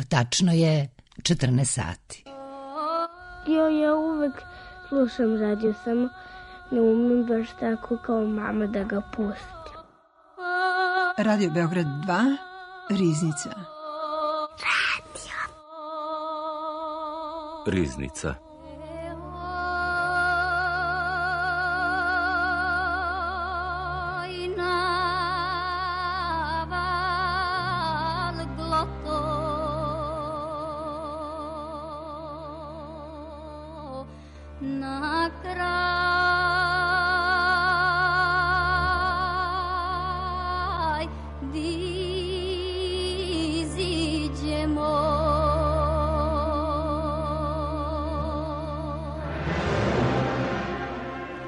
Tačno je 14 sati. Ja uvek slušam radio, samo ne umem baš tako kao mama da ga pustim. Radio Beograd 2, Riznica. Riznica.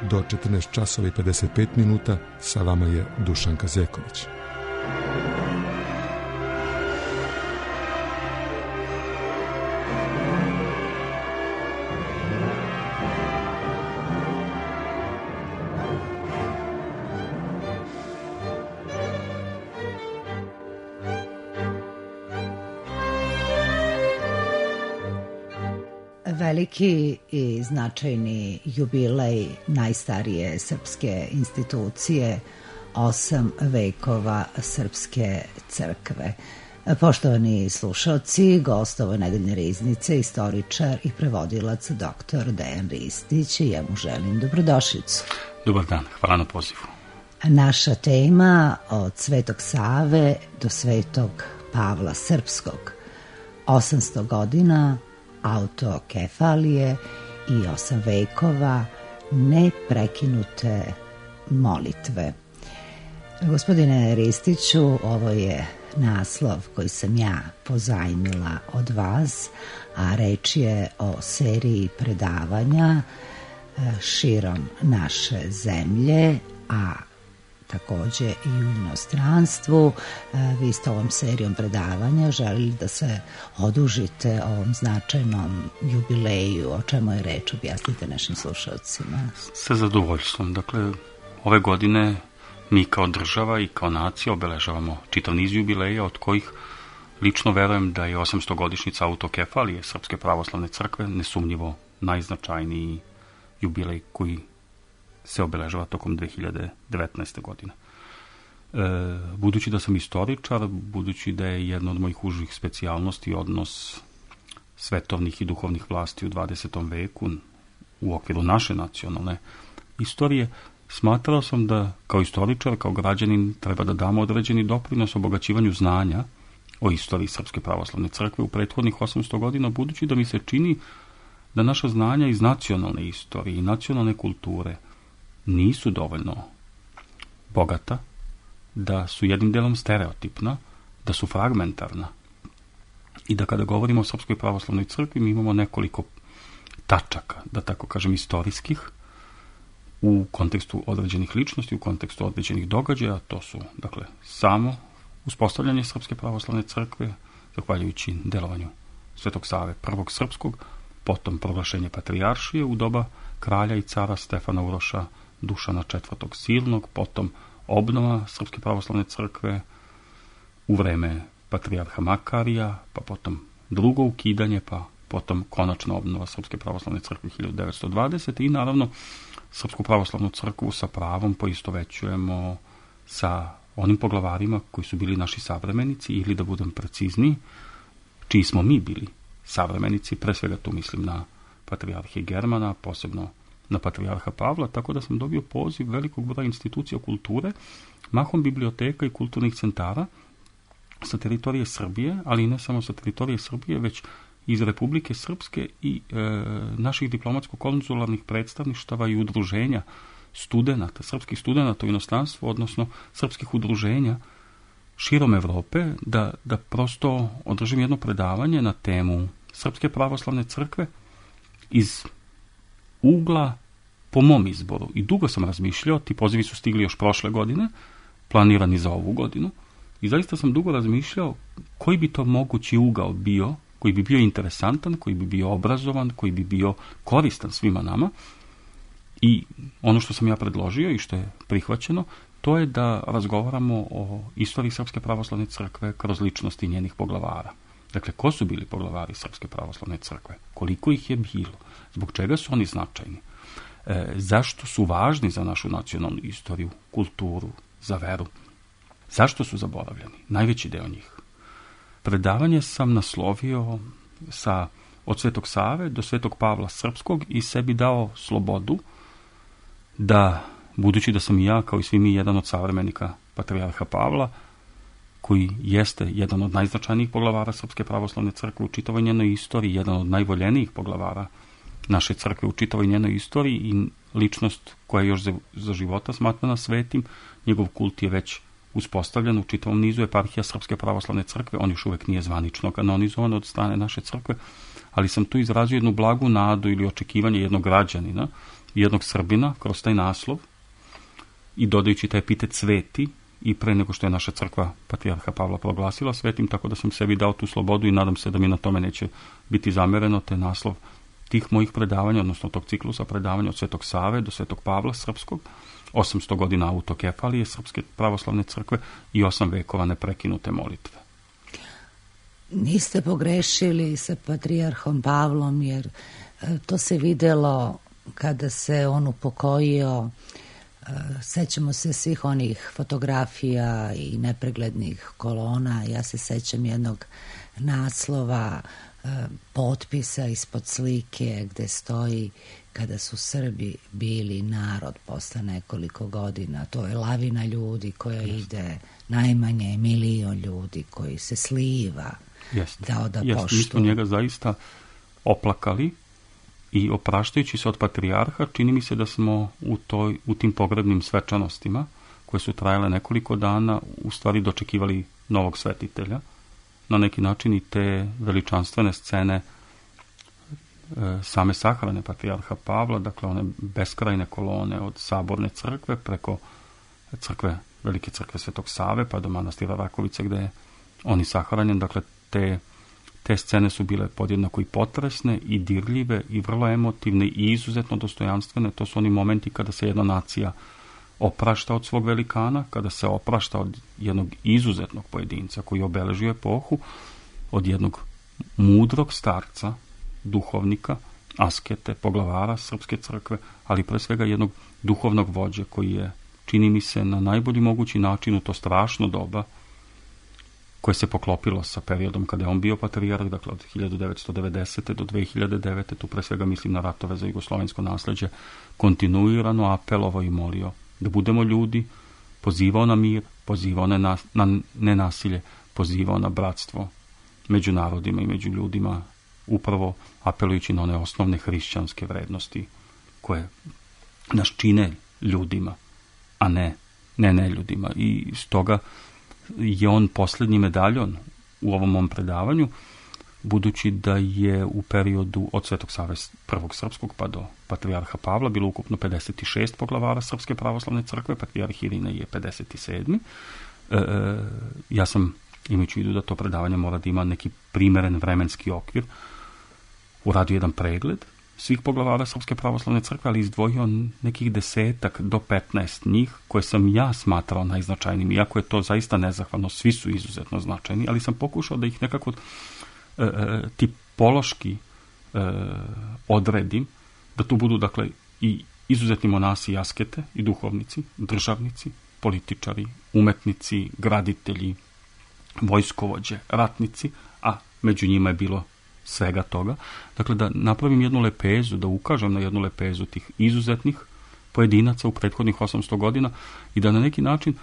Do 14 časova i 55 minuta sa vama je Dušanka Zeković. Veliki i značajni jubilej najstarije srpske institucije, 8 vekova Srpske crkve. Poštovani slušalci, gost ove nedeljne Riznice, istoričar i prevodilac dr. Dejan Ristić, i ja mu želim dobrodošlicu. Dobar dan, hvala na pozivu. Naša tema od Svetog Save do Svetog Pavla Srpskog. 800 godina autokefalije i 8 vekova neprekinute molitve. Gospodine Ristiću, ovo je naslov koji sam ja pozajmila od vas, a reč je o seriji predavanja širom naše zemlje, a takođe i u inostranstvu. Vi ste ovom serijom predavanja želili da se odužite ovom značajnom jubileju. O čemu je reč? Objasnite našim slušalcima. Sa zadovoljstvom. Dakle, ove godine mi kao država i kao nacija obeležavamo čitav niz jubileja, od kojih lično verujem da je 800-godišnjica autokefalije Srpske pravoslavne crkve nesumnjivo najznačajniji jubilej koji se obeležava tokom 2019. godine. Budući da sam istoričar, budući da je jedna od mojih užih specijalnosti odnos svetovnih i duhovnih vlasti u 20. veku u okviru naše nacionalne istorije, smatrao sam da kao istoričar, kao građanin treba da damo određeni doprinos obogaćivanju znanja o istoriji Srpske pravoslavne crkve u prethodnih 800 godina, budući da mi se čini da naša znanja iz nacionalne istorije i nacionalne kulture nisu dovoljno bogata, da su jednim delom stereotipna, da su fragmentarna i da kada govorimo o Srpskoj pravoslavnoj crkvi mi imamo nekoliko tačaka, da tako kažem, istorijskih u kontekstu određenih ličnosti, u kontekstu određenih događaja. To su, dakle, samo uspostavljanje Srpske pravoslavne crkve, zahvaljujući delovanju Svetog Save prvog srpskog, potom proglašenje patrijaršije u doba kralja i cara Stefana Uroša Dušana IV. Silnog, potom obnova Srpske pravoslavne crkve u vreme patrijarha Makarija, pa potom drugo ukidanje, pa potom konačna obnova Srpske pravoslavne crkve 1920. I naravno Srpsku pravoslavnu crkvu sa pravom poistovećujemo sa onim poglavarima koji su bili naši savremenici, ili da budem precizniji, čiji smo mi bili savremenici, pre svega tu mislim na patrijarhe Germana, posebno na patrijarha Pavla, tako da sam dobio poziv velikog broja institucija kulture, mahom biblioteka i kulturnih centara sa teritorije Srbije, ali i ne samo sa teritorije Srbije, već iz Republike Srpske i naših diplomatsko-konzularnih predstavništava i udruženja studenata, srpskih studenata u inostranstvu, odnosno srpskih udruženja širom Evrope, da prosto održim jedno predavanje na temu Srpske pravoslavne crkve iz ugla po mom izboru. I dugo sam razmišljao, ti pozivi su stigli još prošle godine, planirani za ovu godinu, i zaista sam dugo razmišljao koji bi to mogući ugao bio, koji bi bio interesantan, koji bi bio obrazovan, koji bi bio koristan svima nama. I ono što sam ja predložio i što je prihvaćeno, to je da razgovaramo o istoriji Srpske pravoslavne crkve kroz ličnosti njenih poglavara. Dakle, ko su bili poglavari Srpske pravoslavne crkve? Koliko ih je bilo? Zbog čega su oni značajni? Zašto su važni za našu nacionalnu istoriju, kulturu, za veru? Zašto su zaboravljeni? Najveći deo njih. Predavanje sam naslovio od Svetog Save do Svetog Pavla Srpskog i sebi dao slobodu da, budući da sam i ja, kao i svi mi, jedan od savremenika patrijarha Pavla, koji jeste jedan od najznačajnijih poglavara Srpske pravoslavne crkve u čitavoj njenoj istoriji, jedan od najvoljenijih poglavara naše crkve u čitavoj njenoj istoriji i ličnost koja je još za života smatrana svetim, njegov kult je već uspostavljen u čitavom nizu eparhija Srpske pravoslavne crkve, on još uvek nije zvanično kanonizovan od strane naše crkve, ali sam tu izrazio jednu blagu nadu ili očekivanje jednog građanina, jednog Srbina kroz taj naslov i dodajući taj epitet sveti i pre nego što je naša crkva patrijarha Pavla proglasila svetim, tako da sam sebi dao tu slobodu i nadam se da mi na tome neće biti zamereno, te naslov tih mojih predavanja, odnosno tog ciklusa predavanja od Svetog Save do Svetog Pavla Srpskog, 800 godina autokefalije Srpske pravoslavne crkve i 8 vekova neprekinute molitve. Niste pogrešili sa patrijarhom Pavlom, jer to se videlo kada se on upokojio. Sećamo se svih onih fotografija i nepreglednih kolona. Ja se sećam jednog naslova, potpisa ispod slike gde stoji: kada su Srbi bili narod posle nekoliko godina. To je lavina ljudi koja ide, najmanje 1 milion ljudi koji se sliva da oda poštu. Mi smo njega zaista oplakali i opraštajući se od patrijarha, čini mi se da smo u tim pogrebnim svečanostima, koje su trajale nekoliko dana, u stvari dočekivali novog svetitelja. Na neki način i te veličanstvene scene same sahrane patrijarha Pavla, dakle one beskrajne kolone od Saborne crkve preko Velike crkve Svetog Save pa do manastira Rakovice gde je on i sahranjen. Dakle, te scene su bile podjednako i potresne i dirljive i vrlo emotivne i izuzetno dostojanstvene. To su oni momenti kada se jedna nacija oprašta od svog velikana, kada se oprašta od jednog izuzetnog pojedinca koji obeležio epohu, od jednog mudrog starca, duhovnika, askete, poglavara Srpske crkve, ali pre svega jednog duhovnog vođe koji je, čini mi se, na najbolji mogući način u to strašno doba koje se poklopilo sa periodom kada je on bio patrijarh, dakle od 1990. do 2009. Tu pre svega mislim na ratove za jugoslovensko nasleđe, kontinuirano apelovao i molio da budemo ljudi, pozivao na mir, pozivao na nenasilje, pozivao na bratstvo među narodima i među ljudima, upravo apelujući na one osnovne hrišćanske vrednosti koje nas čine ljudima, a ne ljudima. I stoga je on posljednji medaljon u ovom mom predavanju, budući da je u periodu od Svetog Save prvog Srpskog pa do patrijarha Pavla bilo ukupno 56 poglavara Srpske pravoslavne crkve, patrijarh Irine je 57. Ja sam, imajući u vidu da to predavanje mora da ima neki primeren vremenski okvir, uradio jedan pregled svih poglavara Srpske pravoslavne crkve, ali izdvojio nekih 10 do 15 njih koje sam ja smatrao najznačajnijim, iako je to zaista nezahvalno, svi su izuzetno značajni, ali sam pokušao da ih nekako tipološki odredim, da tu budu dakle i izuzetni monasi i askete i duhovnici, državnici, političari, umetnici, graditelji, vojskovođe, ratnici, a među njima je bilo svega toga. Dakle, da napravim jednu lepezu, da ukažem na jednu lepezu tih izuzetnih pojedinaca u prethodnih 800 godina i da na neki način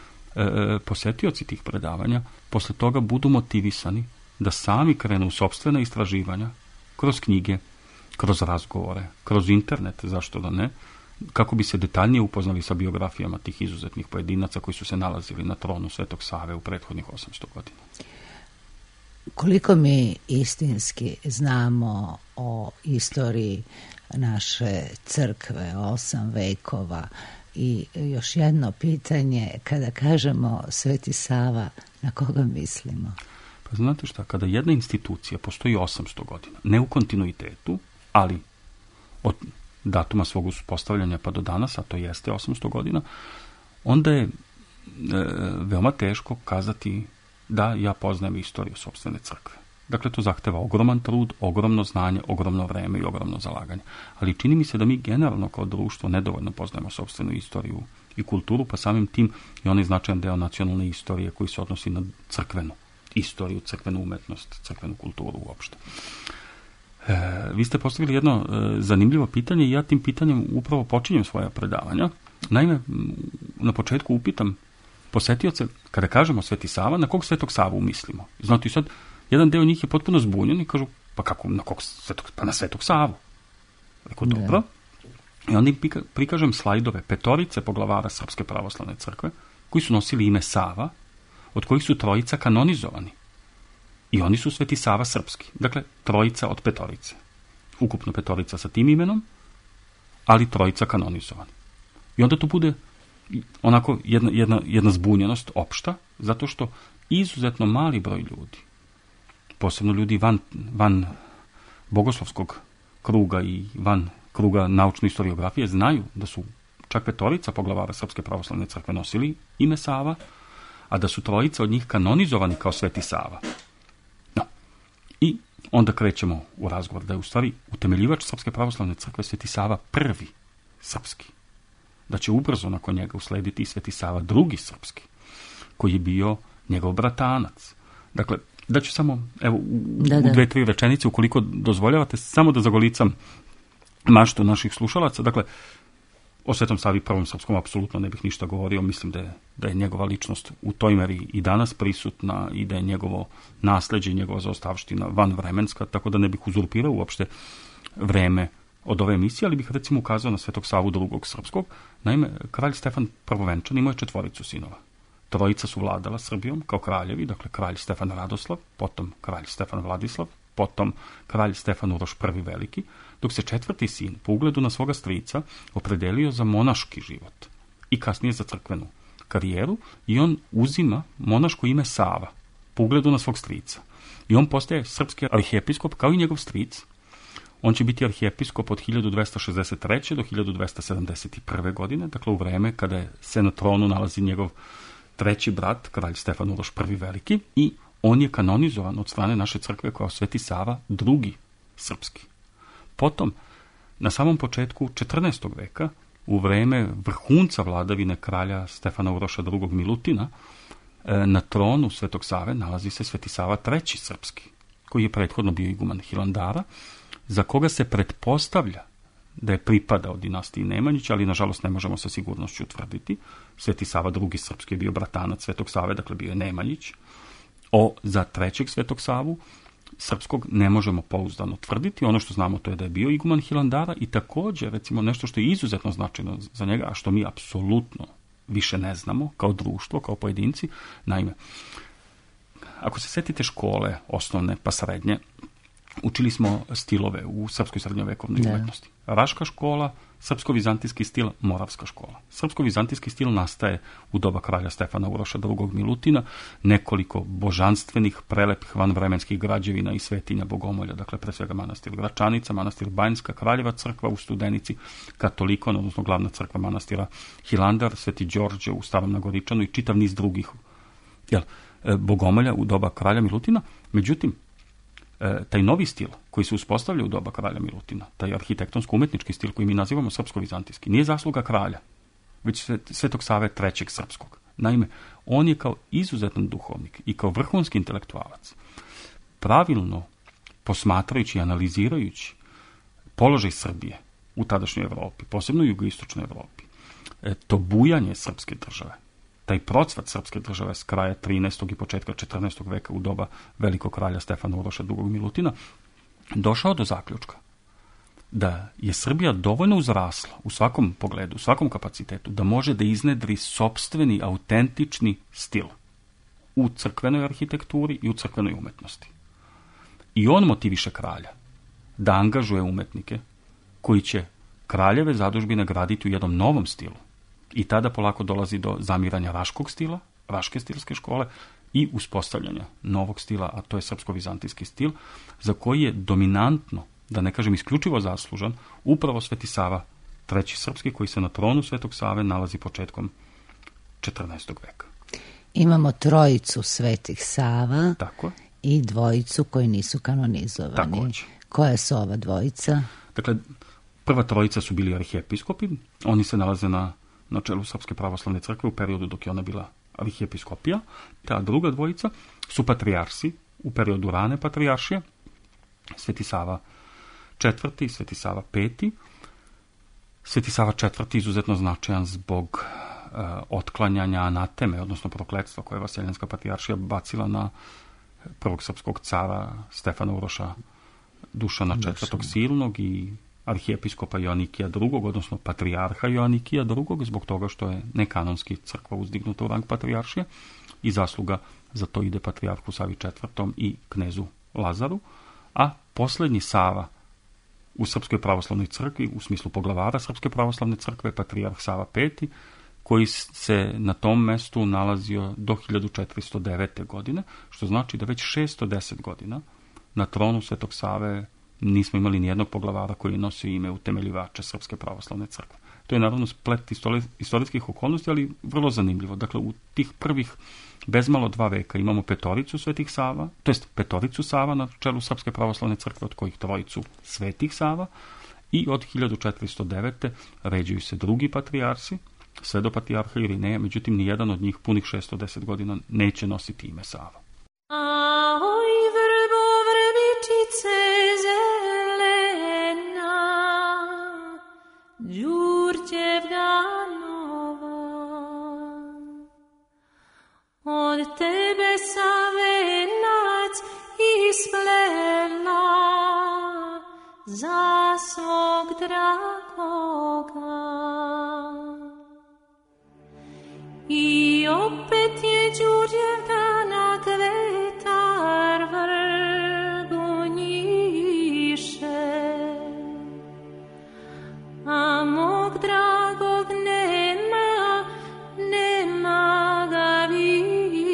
posetioci tih predavanja posle toga budu motivisani da sami krenu u sopstvena istraživanja kroz knjige, kroz razgovore, kroz internet, zašto da ne, kako bi se detaljnije upoznali sa biografijama tih izuzetnih pojedinaca koji su se nalazili na tronu Svetog Save u prethodnih 800 godina. Koliko mi istinski znamo o istoriji naše crkve, 8 vekova, i još jedno pitanje, kada kažemo Sveti Sava, na koga mislimo? Pa znate šta, kada jedna institucija postoji 800 godina, ne u kontinuitetu, ali od datuma svog uspostavljanja pa do danas, a to jeste 800 godina, onda je veoma teško kazati da ja poznajem istoriju sopstvene crkve. Dakle, to zahteva ogroman trud, ogromno znanje, ogromno vreme i ogromno zalaganje. Ali čini mi se da mi generalno kao društvo nedovoljno poznajemo sopstvenu istoriju i kulturu, pa samim tim i onaj značajan deo nacionalne istorije koji se odnosi na crkvenu istoriju, crkvenu umetnost, crkvenu kulturu uopšte. Vi ste postavili jedno zanimljivo pitanje i ja tim pitanjem upravo počinjem svoja predavanja. Naime, na početku upitam posetioce, kada kažemo Sveti Sava, na kog Svetog Savu mislimo? Znate, sad, jedan deo njih je potpuno zbunjen i kažu, pa kako, na kog Svetog, pa na Svetog Savu. Rekao, dobro. I onda im prikažem slajdove 5 poglavara Srpske pravoslavne crkve, koji su nosili ime Sava, od kojih su 3 kanonizovani. I oni su Sveti Sava srpski. Dakle, 3 od 5. Ukupno 5 sa tim imenom, ali 3 kanonizovani. I onda tu bude onako jedna zbunjenost opšta, zato što izuzetno mali broj ljudi, posebno ljudi van bogoslovskog kruga i van kruga naučne historiografije, znaju da su čak 5 poglavara Srpske pravoslavne crkve nosili ime Sava, a da su 3 od njih kanonizovani kao Sveti Sava. No. I onda krećemo u razgovor da je u stvari utemeljivač Srpske pravoslavne crkve Sveti Sava prvi srpski. Da će ubrzo nakon njega uslediti i Sveti Sava drugi srpski, koji je bio njegov bratanac. Dakle, da ću samo, evo, u 2-3 rečenice, ukoliko dozvoljavate, samo da zagolicam maštu naših slušalaca. Dakle, o Svetom Savi prvom srpskom apsolutno ne bih ništa govorio. Mislim da je njegova ličnost u toj meri i danas prisutna i da je njegovo nasleđe i njegova zaostavština vanvremenska, tako da ne bih uzurpirao uopšte vreme od ove emisije, ali bih recimo ukazao na Svetog Savu drugog srpskog. Naime, kralj Stefan Prvovenčan imao je 4 sinova. 3 su vladala Srbijom kao kraljevi, dakle kralj Stefan Radoslav, potom kralj Stefan Vladislav, potom kralj Stefan Uroš I Veliki, dok se 4. sin, po ugledu na svoga strica, opredelio za monaški život i kasnije za crkvenu karijeru i on uzima monaško ime Sava, po ugledu na svog strica. I on postaje srpski arhijepiskop kao i njegov stric. On će biti arhijepiskop od 1263. do 1271. godine, dakle u vreme kada se na tronu nalazi njegov 3. brat, kralj Stefan Uroš I Veliki, i on je kanonizovan od strane naše crkve kao Sveti Sava drugi srpski. Potom, na samom početku 14. veka, u vreme vrhunca vladavine kralja Stefana Uroša II Milutina, na tronu Svetog Save nalazi se Sveti Sava III srpski, koji je prethodno bio iguman Hilandara, za koga se pretpostavlja da je pripadao dinastiji Nemanjića, ali nažalost ne možemo sa sigurnošću utvrditi. Sveti Sava II srpski je bio bratanac Svetog Save, dakle bio je Nemanjić. Za 3. Svetog Savu srpskog ne možemo pouzdano tvrditi. Ono što znamo to je da je bio iguman Hilandara i također, recimo, nešto što je izuzetno značajno za njega, a što mi apsolutno više ne znamo kao društvo, kao pojedinci. Naime, ako se setite škole, osnovne pa srednje, učili smo stilove u srpskoj srednjovekovnoj umetnosti. Raška škola, srpsko-vizantijski stil, moravska škola. Srpsko-vizantijski stil nastaje u doba kralja Stefana Uroša II Milutina, nekoliko božanstvenih, prelepih vanvremenskih građevina i svetinja bogomolja, dakle pre svega manastir Gračanica, manastir Banjska, Kraljeva crkva u Studenici, Katolikon, odnosno glavna crkva manastira Hilandar, Sveti Đorđe u Starom Nagoričanu i čitav niz drugih bogomolja u doba kralja Milutina. Međutim, taj novi stil koji se uspostavlja u doba kralja Milutina, taj arhitektonsko-umetnički stil koji mi nazivamo srpsko-vizantijski, nije zasluga kralja, već Svetog Save III srpskog. Naime, on je kao izuzetan duhovnik i kao vrhunski intelektualac, pravilno posmatrajući i analizirajući položaj Srbije u tadašnjoj Evropi, posebno u jugoistočnoj Evropi, to bujanje srpske države, taj procvat srpske države s kraja 13. i početka 14. veka u doba velikog kralja Stefana Uroša II Milutina, došao do zaključka da je Srbija dovoljno uzrasla u svakom pogledu, u svakom kapacitetu, da može da iznedri sopstveni, autentični stil u crkvenoj arhitekturi i u crkvenoj umetnosti. I on motiviše kralja da angažuje umetnike koji će kraljeve zadužbine graditi u jednom novom stilu. I tada polako dolazi do zamiranja raškog stila, raške stilske škole i uspostavljanja novog stila, a to je srpsko-vizantijski stil, za koji je dominantno, da ne kažem isključivo zaslužan, upravo Sveti Sava III srpski, koji se na tronu Svetog Save nalazi početkom 14. veka. Imamo 3 Svetih Sava. Tako. i dvojicu koji nisu kanonizovani. Takođe. Koja su ova dvojica? Dakle, prva trojica su bili arhijepiskopi, oni se nalaze na čelu Srpske pravoslavne crkve u periodu dok je ona bila arhijepiskopija. Ta druga dvojica su patrijarsi u periodu rane patrijaršije, Sveti Sava IV i Sveti Sava V. Sveti Sava IV izuzetno značajan zbog otklanjanja anateme, odnosno prokletstva koje je Vaseljenska patrijaršija bacila na prvog srpskog cara Stefana Uroša Dušana IV. Silnog i arhijepiskopa Joanikija II, odnosno patrijarha Joanikija II, zbog toga što je nekanonski crkva uzdignuta u rang patrijaršije i zasluga za to ide patrijarhu Savi IV. I knezu Lazaru, a poslednji Sava u Srpskoj pravoslavnoj crkvi, u smislu poglavara Srpske pravoslavne crkve, patrijarh Sava V, koji se na tom mestu nalazio do 1409. godine, što znači da već 610 godina na tronu Svetog Save nismo imali nijednog poglavara koji nosi ime utemeljivača Srpske pravoslavne crkve. To je naravno splet istorijskih okolnosti, ali vrlo zanimljivo. Dakle, u tih prvih bezmalo 2 veka imamo petoricu Svetih Sava, to jest petoricu Sava na čelu Srpske pravoslavne crkve, od kojih trojicu Svetih Sava, i od 1409. ređuju se drugi patrijarsi, sve do patrijarha Irineja, međutim nijedan od njih punih 610 godina neće nositi ime Sava. Ahoj, vrbo, vrbičice zelena, Đurđevdanova, od tebe Savenac isplela za svog dragoga. I opet je Đurđevdana kvetar vrbu njiše, a mog dragog nema ga više.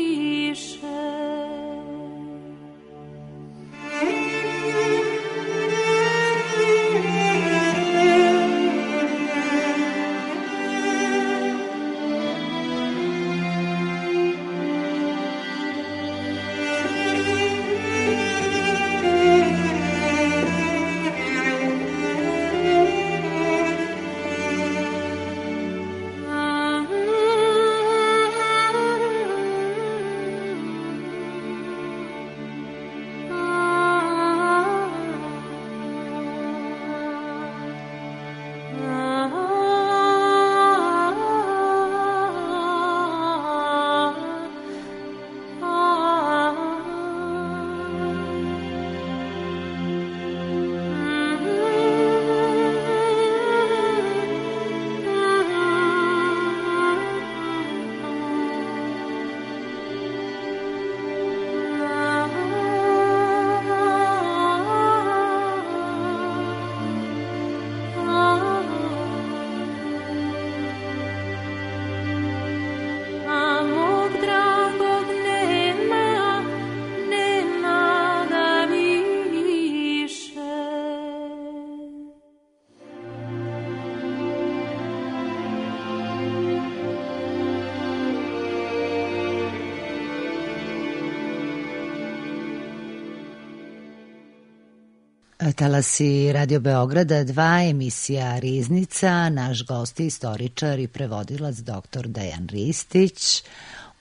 Talasi Radio Beograda 2, emisija Riznica. Naš gost je istoričar i prevodilac dr. Dejan Ristić.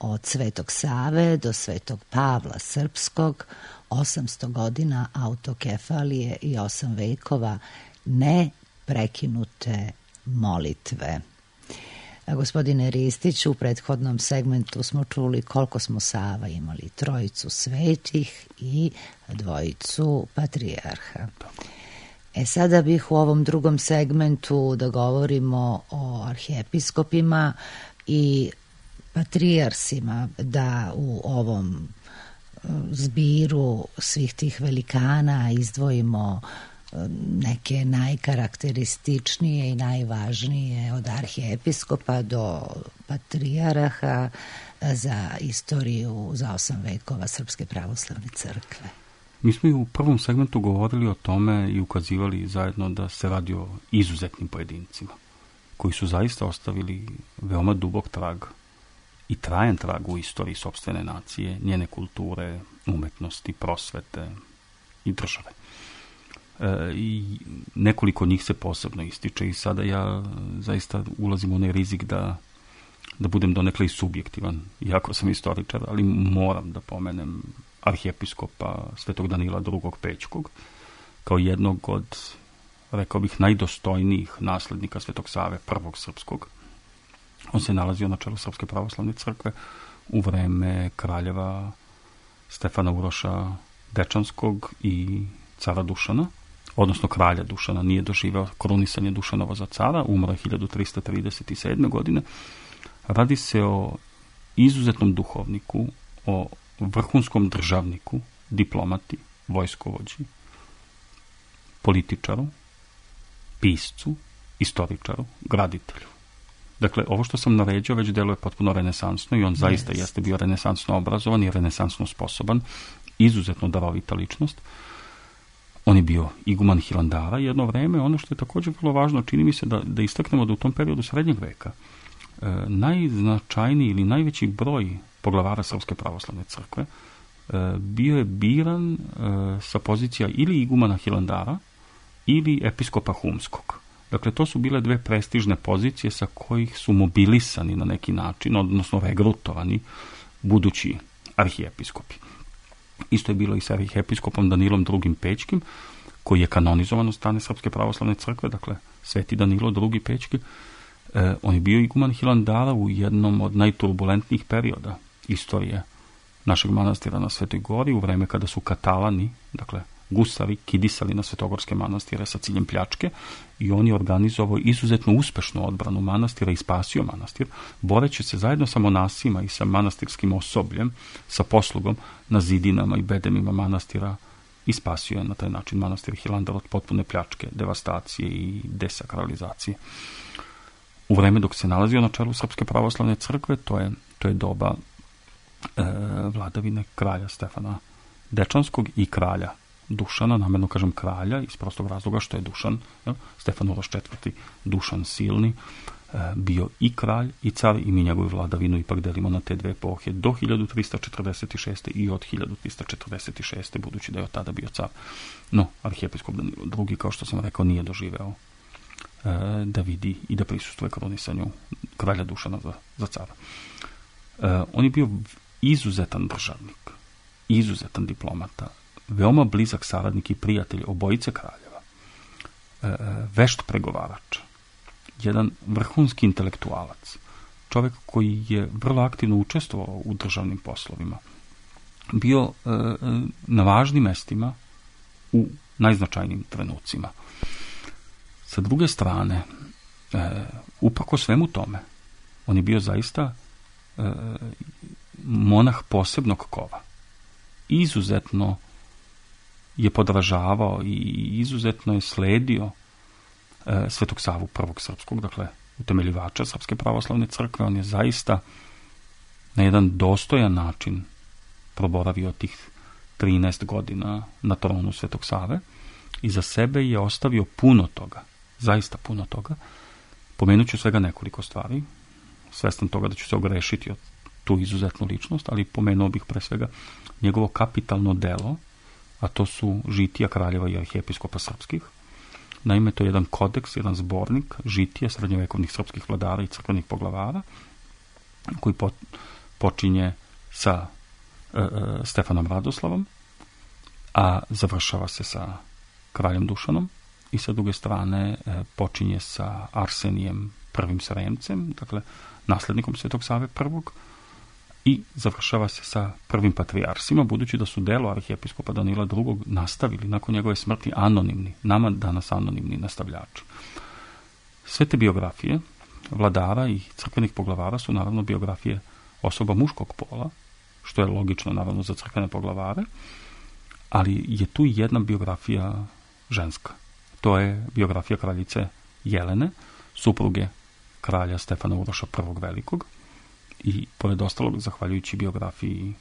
Od Svetog Save do Svetog Pavla Srpskog, 800 godina autokefalije i 8 vekova neprekinute molitve. Gospodine Ristiću, u prethodnom segmentu smo čuli koliko smo Sava imali, trojicu svetih i dvojicu patrijarha. Sada bih u ovom drugom segmentu da govorimo o arhijepiskopima i patrijarsima, da u ovom zbiru svih tih velikana izdvojimo neke najkarakterističnije i najvažnije od arhijepiskopa do patrijaraha za istoriju za 8 vekova Srpske pravoslavne crkve. Mi smo i u prvom segmentu govorili o tome i ukazivali zajedno da se radi o izuzetnim pojedincima koji su zaista ostavili veoma dubok trag i trajan trag u istoriji sopstvene nacije, njene kulture, umetnosti, prosvete i države. I nekoliko njih se posebno ističe i sada ja zaista ulazim u onaj rizik da budem donekle i subjektivan, iako sam istoričar, ali moram da pomenem arhijepiskopa Svetog Danila II. Pećkog kao jednog od, rekao bih, najdostojnijih naslednika Svetog Save prvog srpskog. On se nalazio na čelu Srpske pravoslavne crkve u vreme kraljeva Stefana Uroša Dečanskog i cara Dušana, odnosno kralja Dušana. Nije doživeo krunisanje Dušanova za cara, umro je 1337. godine. Radi se o izuzetnom duhovniku, o vrhunskom državniku, diplomati, vojskovođi, političaru, piscu, istoričaru, graditelju. Dakle, ovo što sam naređao već deluje potpuno renesansno i on zaista jeste bio renesansno obrazovan i renesansno sposoban, izuzetno darovita ličnost. On je bio iguman Hilandara jedno vreme. Ono što je također vrlo važno, čini mi se da istaknemo da u tom periodu srednjeg veka najznačajniji ili najveći broj poglavara Srpske pravoslavne crkve bio je biran sa pozicija ili igumana Hilandara ili episkopa Humskog. Dakle, to su bile dve prestižne pozicije sa kojih su mobilisani na neki način, odnosno regrutovani budući arhijepiskopi. Isto je bilo i sa arhijepiskopom Danilom II. Pećkim, koji je kanonizovan od strane Srpske pravoslavne crkve, dakle, Sveti Danilo II. Pećki. On je bio iguman Hilandara u jednom od najturbulentnijih perioda istorije našeg manastira na Svetoj Gori, u vreme kada su Katalani, dakle, gusari, kidisali na svetogorske manastire sa ciljem pljačke, i on je organizovao izuzetno uspešnu odbranu manastira i spasio manastir, boreći se zajedno sa monasima i sa manastirskim osobljem, sa poslugom na zidinama i bedemima manastira, i spasio je na taj način manastir Hilandar od potpune pljačke, devastacije i desakralizacije. U vreme dok se nalazio na čelu Srpske pravoslavne crkve, to je doba vladavine kralja Stefana Dečanskog i kralja Dušana, namerno kažem kralja iz prostog razloga što je Dušan, Stefan Uroš IV. Dušan Silni, bio i kralj i car, i mi njegovu vladavinu ipak delimo na te dve epohe do 1346. i od 1346. budući da je od tada bio car. No, arhijepiskop Danilo II, kao što sam rekao, nije doživeo da vidi i da prisustvuje krunisanju kralja Dušana za cara. On je bio izuzetan državnik, izuzetan diplomata, veoma blizak saradnik i prijatelj obojice kraljeva, vešt pregovarač, jedan vrhunski intelektualac, čovjek koji je vrlo aktivno učestvovao u državnim poslovima, bio na važnim mestima u najznačajnijim trenucima. Sa druge strane, uprko svemu tome, on je bio zaista monah posebnog kova. Izuzetno je podražavao i izuzetno je sledio Svetog Savu prvog srpskog, dakle utemeljivača Srpske pravoslavne crkve. On je zaista na jedan dostojan način proboravio tih 13 godina na tronu Svetog Save i za sebe je ostavio puno toga, zaista puno toga. Pomenut ću svega nekoliko stvari, svestan toga da ću se ogrešiti od tu izuzetnu ličnost, ali pomenuo bih pre svega njegovo kapitalno delo, a to su žitija kraljeva i arhijepiskopa srpskih. Naime, to je jedan kodeks, jedan zbornik žitija srednjovekovnih srpskih vladara i crkvenih poglavara, koji počinje sa Stefanom Radoslavom, a završava se sa kraljem Dušanom, i sa druge strane počinje sa Arsenijem I. Sremcem, dakle naslednikom Svetog Save prvog, i završava se sa prvim patrijarsima, budući da su delo arhijepiskopa Danila II. Nastavili nakon njegove smrti anonimni, nama danas anonimni nastavljači. Sve te biografije vladara i crkvenih poglavara su naravno biografije osoba muškog pola, što je logično naravno za crkvene poglavare, ali je tu jedna biografija ženska. To je biografija kraljice Jelene, supruge kralja Stefana Uroša I. Velikog, i pored ostalog, zahvaljujući biografiji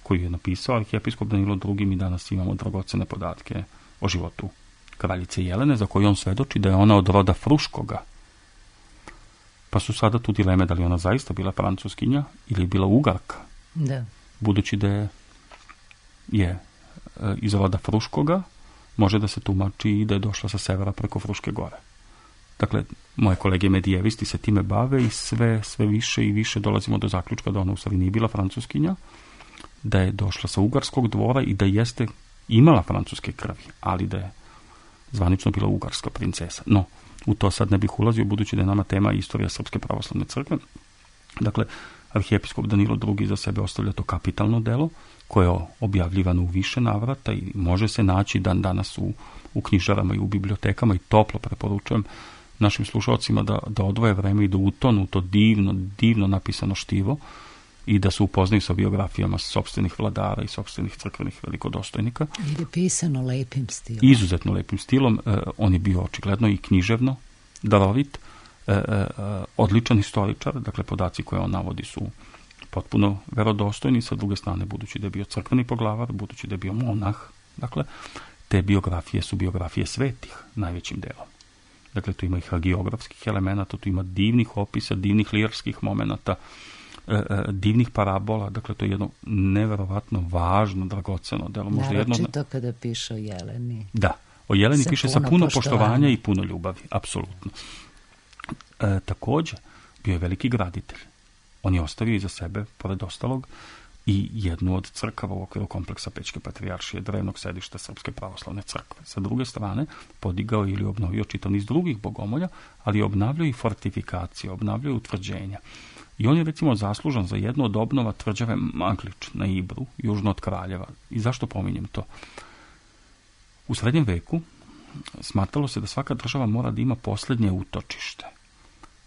koju je napisao arhijepiskop Danilo II, mi danas imamo dragocene podatke o životu kraljice Jelene, za koju on svedoči da je ona od roda Fruškoga. Pa su sada tu dileme da li ona zaista bila Francuskinja ili bila Ugarka. Da. Budući da je iz roda Fruškoga, može da se tumači i da je došla sa severa preko Fruške gore. Dakle, moje kolege medijevisti se time bave i sve više i više dolazimo do zaključka da ona u stvari nije bila Francuskinja, da je došla sa ugarskog dvora i da jeste imala francuske krvi, ali da je zvanično bila ugarska princesa. No, u to sad ne bih ulazio, budući da je nama tema istorija Srpske pravoslavne crkve. Dakle, arhijepiskop Danilo II za sebe ostavlja to kapitalno delo, koje je objavljivano u više navrata i može se naći dan danas u knjižarama i u bibliotekama, i toplo preporučujem našim slušalcima da odvoje vreme i da utonu u to divno napisano štivo i da se upoznaju sa biografijama sopstvenih vladara i sopstvenih crkvenih velikodostojnika. I je pisano lepim stilom. Izuzetno lepim stilom. On je bio očigledno i književno darovit, odličan historičar, dakle podaci koje on navodi su potpuno verodostojni, sa druge strane budući da je bio crkveni poglavar, budući da je bio monah, dakle te biografije su biografije svetih najvećim delom. Dakle, tu ima i hagiografskih elemenata, tu ima divnih opisa, divnih lirskih momenata, divnih parabola, dakle to je jedno neverovatno važno, dragoceno delo. Naročito kada piše o Jeleni. Da, o Jeleni piše sa puno poštovanja i puno ljubavi, apsolutno. Također, bio je veliki graditelj. On je ostavio iza sebe, pored ostalog, i jednu od crkava u okviru kompleksa Pećke patrijaršije, drevnog sedišta Srpske pravoslavne crkve. Sa druge strane, podigao ili obnovio čitav niz drugih bogomolja, ali je obnavljao i fortifikacije, obnavljao i utvrđenja. I on je recimo zaslužan za jednu od obnova tvrđave Maglič na Ibru, južno od Kraljeva. I zašto pominjem to? U srednjem veku smatralo se da svaka država mora da ima posljednje utočište.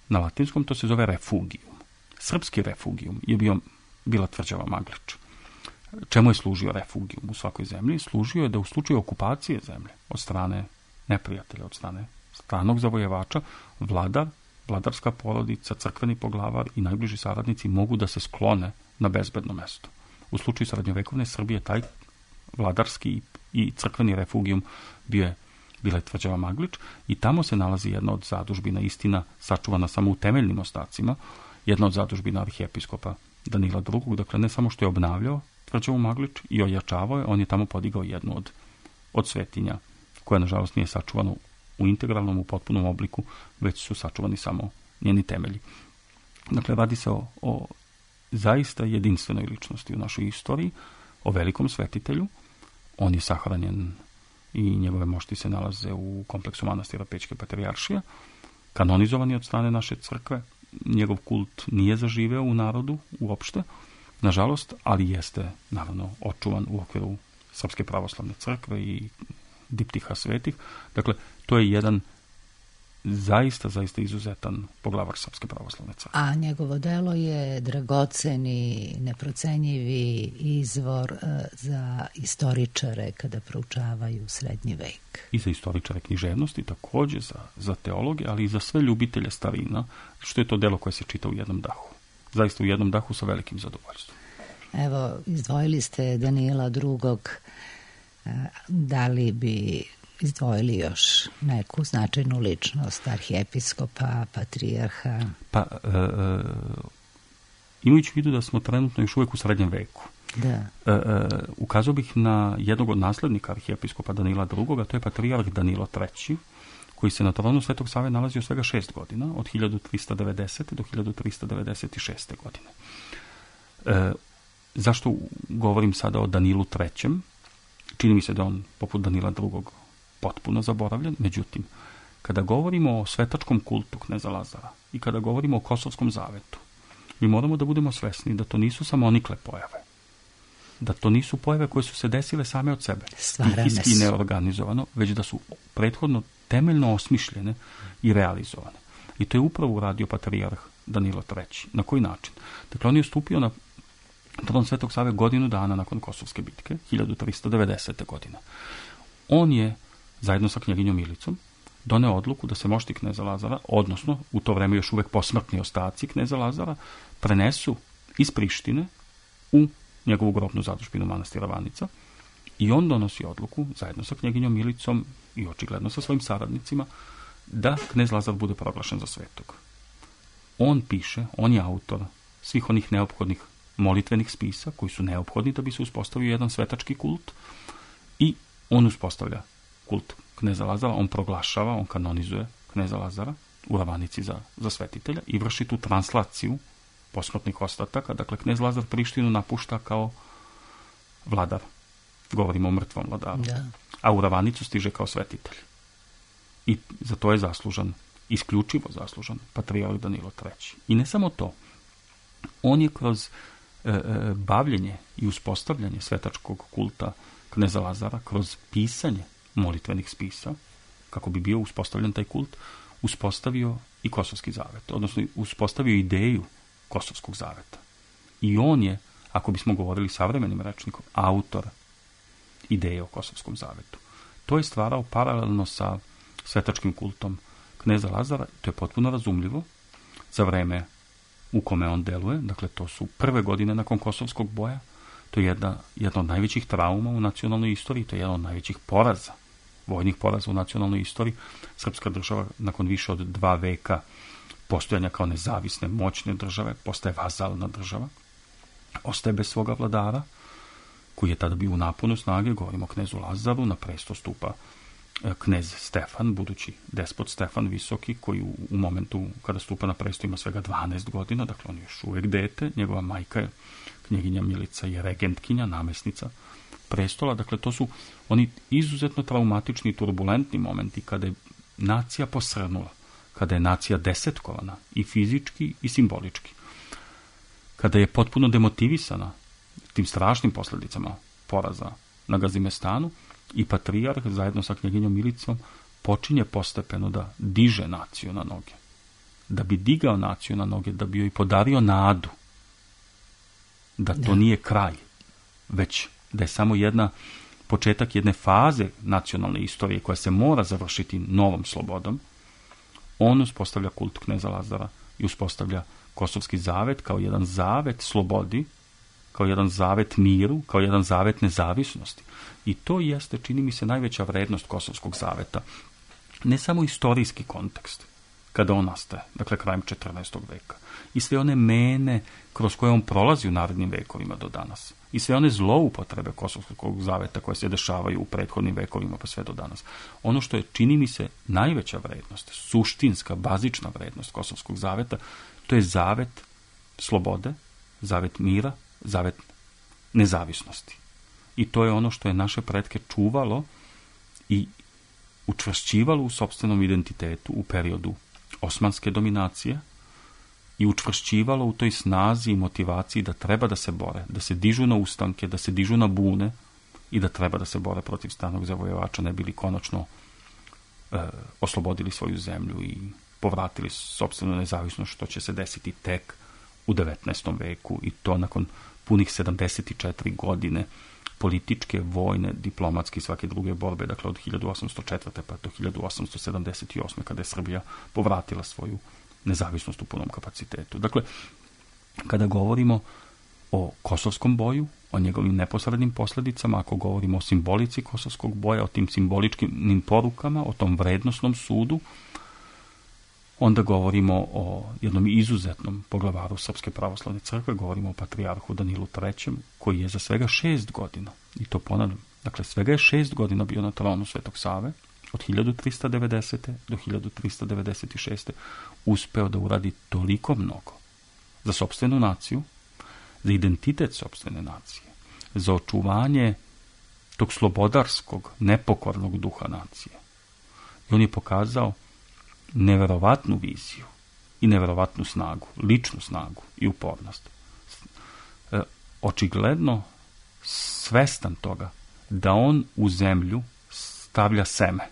Na latinskom to se zove refugium. Srpski refugium je bila tvrđava Maglič. Čemu je služio refugium u svakoj zemlji? Služio je da u slučaju okupacije zemlje od strane neprijatelja, od strane stranog zavojevača, vladarska porodica, crkveni poglavar i najbliži saradnici mogu da se sklone na bezbedno mesto. U slučaju srednjovekovne Srbije taj vladarski i crkveni refugium bila je tvrđava Maglič i tamo se nalazi jedna od zadužbina, istina sačuvana samo u temeljnim ostacima, jedna od zadužbina arhijepiskopa Danila II, dakle ne samo što je obnavljao tvrđavu Maglič i ojačavao je, on je tamo podigao jednu od svetinja, koja nažalost nije sačuvana u integralnom, u potpunom obliku, već su sačuvani samo njeni temelji. Dakle, radi se o zaista jedinstvenoj ličnosti u našoj istoriji, o velikom svetitelju. On je sahranjen i njegove mošti se nalaze u kompleksu manastira Pećke patrijaršije, kanonizovan je od strane naše crkve. Njegov kult nije zaživeo u narodu uopšte, nažalost, ali jeste naravno očuvan u okviru Srpske pravoslavne crkve i diptiha svetih. Dakle, to je jedan zaista izuzetan poglavar Srpske pravoslavne crkve. A njegovo delo je dragoceni, neprocenjivi izvor za istoričare kada proučavaju srednji vek. I za istoričare književnosti, također za teologe, ali i za sve ljubitelje starina, što je to delo koje se čita u jednom dahu. Zaista u jednom dahu sa velikim zadovoljstvom. Evo, izdvojili ste Danila II. Da li bi izdvojili još neku značajnu ličnost arhijepiskopa, patrijarha? Pa, imajući u vidu da smo trenutno još uvijek u srednjem veku, da. Ukazao bih na jednog od naslednika arhijepiskopa Danila II, to je patrijarh Danilo III, koji se na tronu Svetog Save nalazio svega 6 godina, od 1390. do 1396. godine. Zašto govorim sada o Danilu III? Čini mi se da on, poput Danila II, potpuno zaboravljen. Međutim, kada govorimo o svetačkom kultu kneza Lazara i kada govorimo o Kosovskom zavetu, mi moramo da budemo svesni da to nisu samonikle pojave. Da to nisu pojave koje su se desile same od sebe. Stihijski i neorganizovano, već da su prethodno temeljno osmišljene i realizovane. I to je upravo uradio patrijarh Danilo III. Na koji način? Dakle, on je stupio na tron Svetog Save godinu dana nakon Kosovske bitke, 1390. godine. On je, zajedno sa knjeginjom Milicom, doneo odluku da se mošti kneza Lazara, odnosno u to vreme još uvek posmrtni ostaci kneza Lazara, prenesu iz Prištine u njegovu grobnu zadužbinu manastira Vanica i on donosi odluku, zajedno sa knjeginjom Milicom i očigledno sa svojim saradnicima, da knez Lazar bude proglašen za svetog. on piše, on je autor svih onih neophodnih molitvenih spisa koji su neophodni da bi se uspostavio jedan svetački kult i on uspostavlja kult kneza Lazara, on proglašava, on kanonizuje kneza Lazara u Ravanici za svetitelja i vrši tu translaciju posmrtnih ostataka. Dakle, knez Lazar Prištinu napušta kao vladar. Govorimo o mrtvom vladaru. Da. A u Ravanicu stiže kao svetitelj. I za to je zaslužan, isključivo zaslužan, patrijarh Danilo III. I ne samo to. On je kroz bavljenje i uspostavljanje svetačkog kulta kneza Lazara, kroz pisanje molitvenih spisa, kako bi bio uspostavljen taj kult, uspostavio i Kosovski zavet, odnosno uspostavio ideju Kosovskog zaveta. I on je, ako bismo govorili savremenim rečnikom, autor ideje o Kosovskom zavetu. To je stvarao paralelno sa svetačkim kultom kneza Lazara, to je potpuno razumljivo za vreme u kome on deluje, dakle to su prve godine nakon Kosovskog boja, to je jedna od najvećih trauma u nacionalnoj istoriji, to je jedan od najvećih poraza, vojnih poraza u nacionalnoj istoriji. Srpska država nakon više od 2 veka postojanja kao nezavisne, moćne države, postaje vazalna država, ostaje bez svoga vladara, koji je tada bio u naponu snage, govorimo o knezu Lazaru, na presto stupa knez Stefan, budući despot Stefan Visoki, koji u momentu kada stupa na presto ima svega 12 godina, dakle on je još uvijek dete, njegova majka je knjeginja Milica je regentkinja, namesnica prestola, dakle to su oni izuzetno traumatični i turbulentni momenti kada je nacija posrnula, kada je nacija desetkovana i fizički i simbolički, kada je potpuno demotivisana tim strašnim posljedicama poraza na Gazimestanu i patrijarh zajedno sa knjeginjom Milicom počinje postepeno da diže naciju na noge. Da bi digao naciju na noge, da bi joj podario nadu da to nije kraj, već da je samo početak jedne faze nacionalne istorije koja se mora završiti novom slobodom. On uspostavlja kult kneza Lazara i uspostavlja Kosovski zavet kao jedan zavet slobodi, kao jedan zavet miru, kao jedan zavet nezavisnosti. I to jeste, čini mi se, najveća vrednost Kosovskog zaveta. Ne samo istorijski kontekst, kada on nastaje, dakle krajem 14. veka, i sve one mene kroz koje on prolazi u narednim vekovima do danas, i sve one zloupotrebe Kosovskog zaveta koje se dešavaju u prethodnim vekovima pa sve do danas. Ono što je, čini mi se, najveća vrednost, suštinska, bazična vrednost Kosovskog zaveta, to je zavet slobode, zavet mira, zavet nezavisnosti. I to je ono što je naše pretke čuvalo i učvršćivalo u sopstvenom identitetu u periodu osmanske dominacije i učvršćivalo u toj snazi i motivaciji da treba da se bore, da se dižu na ustanke, da se dižu na bune i da treba da se bore protiv stranog zavojevača, ne bili konačno oslobodili svoju zemlju i povratili sopstvenu nezavisnost, što će se desiti tek u 19. veku i to nakon punih 74 godine političke, vojne, diplomatske i svake druge borbe, dakle od 1804. pa do 1878. kada je Srbija povratila svoju nezavisnost u punom kapacitetu. Dakle, kada govorimo o Kosovskom boju, o njegovim neposrednim posljedicama, ako govorimo o simbolici Kosovskog boja, o tim simboličkim porukama, o tom vrednosnom sudu, onda govorimo o jednom izuzetnom poglavaru Srpske pravoslavne crkve, govorimo o patrijarhu Danilu III, koji je za svega 6 godina, i to ponavljam, dakle svega je 6 godina bio na tronu Svetog Save, od 1390. do 1396. uspeo da uradi toliko mnogo za sopstvenu naciju, za identitet sopstvene nacije, za očuvanje tog slobodarskog, nepokornog duha nacije. I on je pokazao neverovatnu viziju i neverovatnu snagu, ličnu snagu i upornost. Očigledno svestan toga da on u zemlju stavlja seme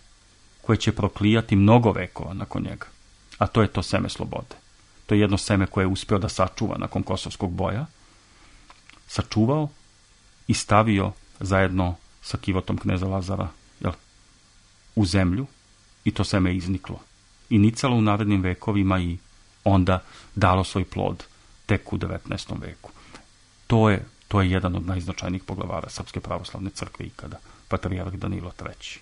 koje će proklijati mnogo vekova nakon njega. A to je to seme slobode. To je jedno seme koje je uspeo da sačuva nakon Kosovskog boja, sačuvao i stavio zajedno sa kivotom kneza Lazara u zemlju i to seme je izniklo. I nicalo u narednim vekovima i onda dalo svoj plod tek u 19. veku. To je jedan od najznačajnijih poglavara Srpske pravoslavne crkve ikada, patrijarh Danilo III.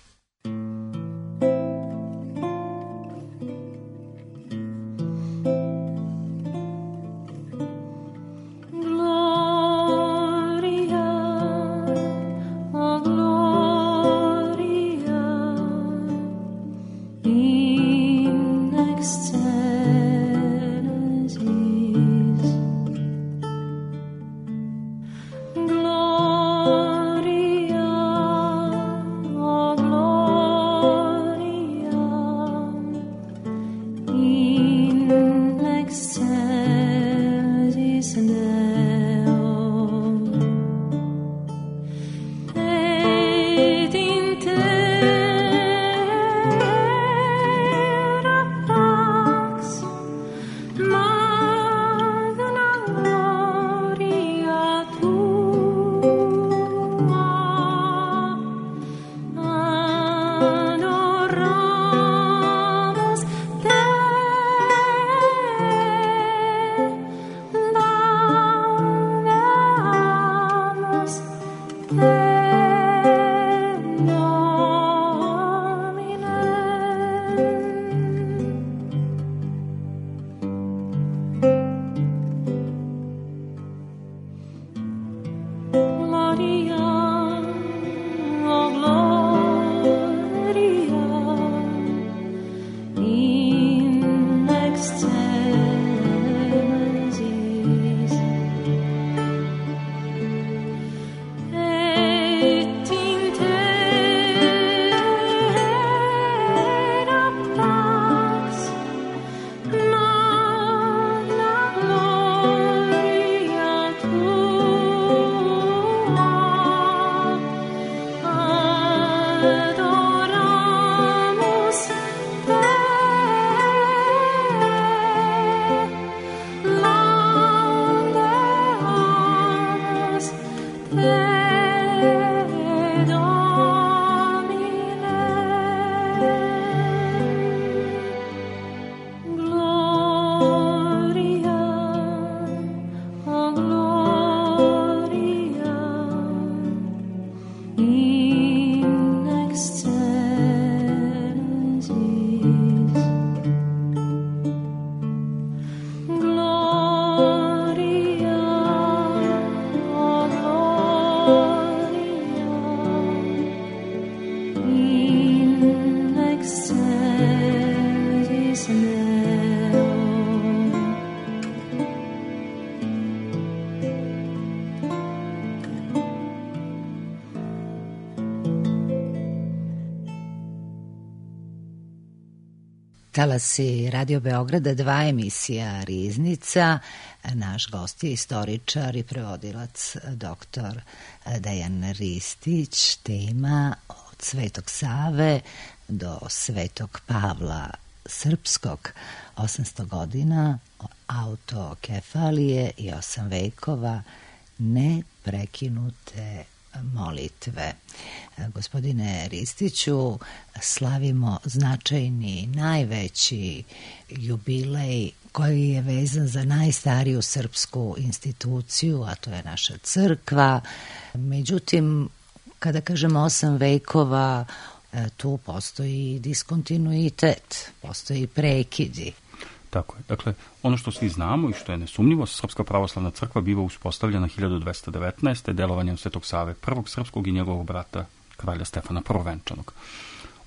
Talasi Radio Beograda, 2 emisija Riznica. Naš gost je istoričar i prevodilac dr. Dejan Ristić. Tema od Svetog Save do Svetog Pavla Srpskog, 800 godina autokefalije i 8 vekova neprekinute molitve. Gospodine Ristiću, slavimo značajni, najveći jubilej koji je vezan za najstariju srpsku instituciju, a to je naša crkva. Međutim, kada kažemo 8 vekova, tu postoji diskontinuitet, postoji prekidi. Tako je. Dakle, ono što svi znamo i što je nesumnjivo, Srpska pravoslavna crkva biva uspostavljena 1219. delovanjem Svetog Save I. Srpskog i njegovog brata kralja Stefana Prvovenčanog.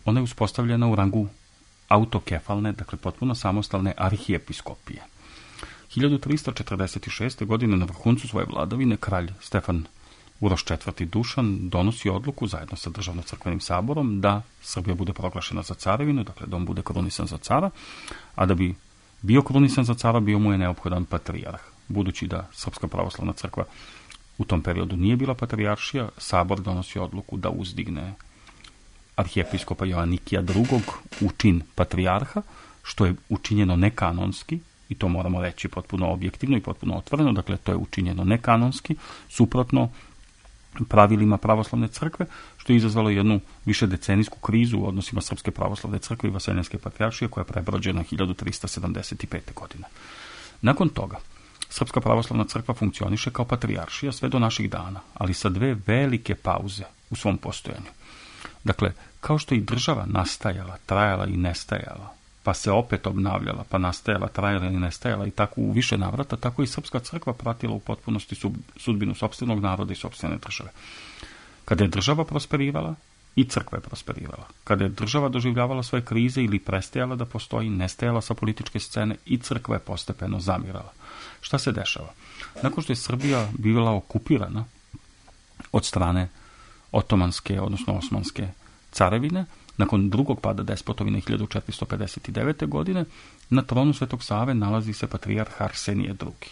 Ona je uspostavljena u rangu autokefalne, dakle potpuno samostalne arhijepiskopije. 1346. godine na vrhuncu svoje vladavine kralj Stefan Uroš IV. Dušan donosi odluku zajedno sa državno-crkvenim saborom da Srbija bude proglašena za carevinu, dakle da on bude krunisan za cara, a da bi bio krunisan za cara, bio mu je neophodan patrijarh. Budući da Srpska pravoslavna crkva u tom periodu nije bila patrijaršija, sabor donosi odluku da uzdigne arhijepiskopa Joanikija II. U čin patrijarha, što je učinjeno nekanonski, i to moramo reći potpuno objektivno i potpuno otvoreno, dakle to je učinjeno nekanonski, suprotno pravilima pravoslavne crkve, što je izazvalo jednu višedecenijsku krizu u odnosima Srpske pravoslavne crkve i Vaseljenske patrijaršije, koja je prebrođena 1375. godine. Nakon toga, Srpska pravoslavna crkva funkcioniše kao patrijaršija sve do naših dana, ali sa 2 velike pauze u svom postojanju. Dakle, kao što i država nastajala, trajala i nestajala, pa se opet obnavljala, pa nastajala, trajala i nestajala i tako u više navrata, tako i Srpska crkva pratila u potpunosti sudbinu sopstvenog naroda i sopstvene države. Kada je država prosperirala, i crkva je prosperirala. Kada je država doživljavala svoje krize ili prestajala da postoji, nestajala sa političke scene, i crkva je postepeno zamirala. Šta se dešava? Nakon što je Srbija bila okupirana od strane otomanske, odnosno osmanske carevine, nakon drugog pada despotovine 1459. godine, na tronu Svetog Save nalazi se patrijarh Arsenije II.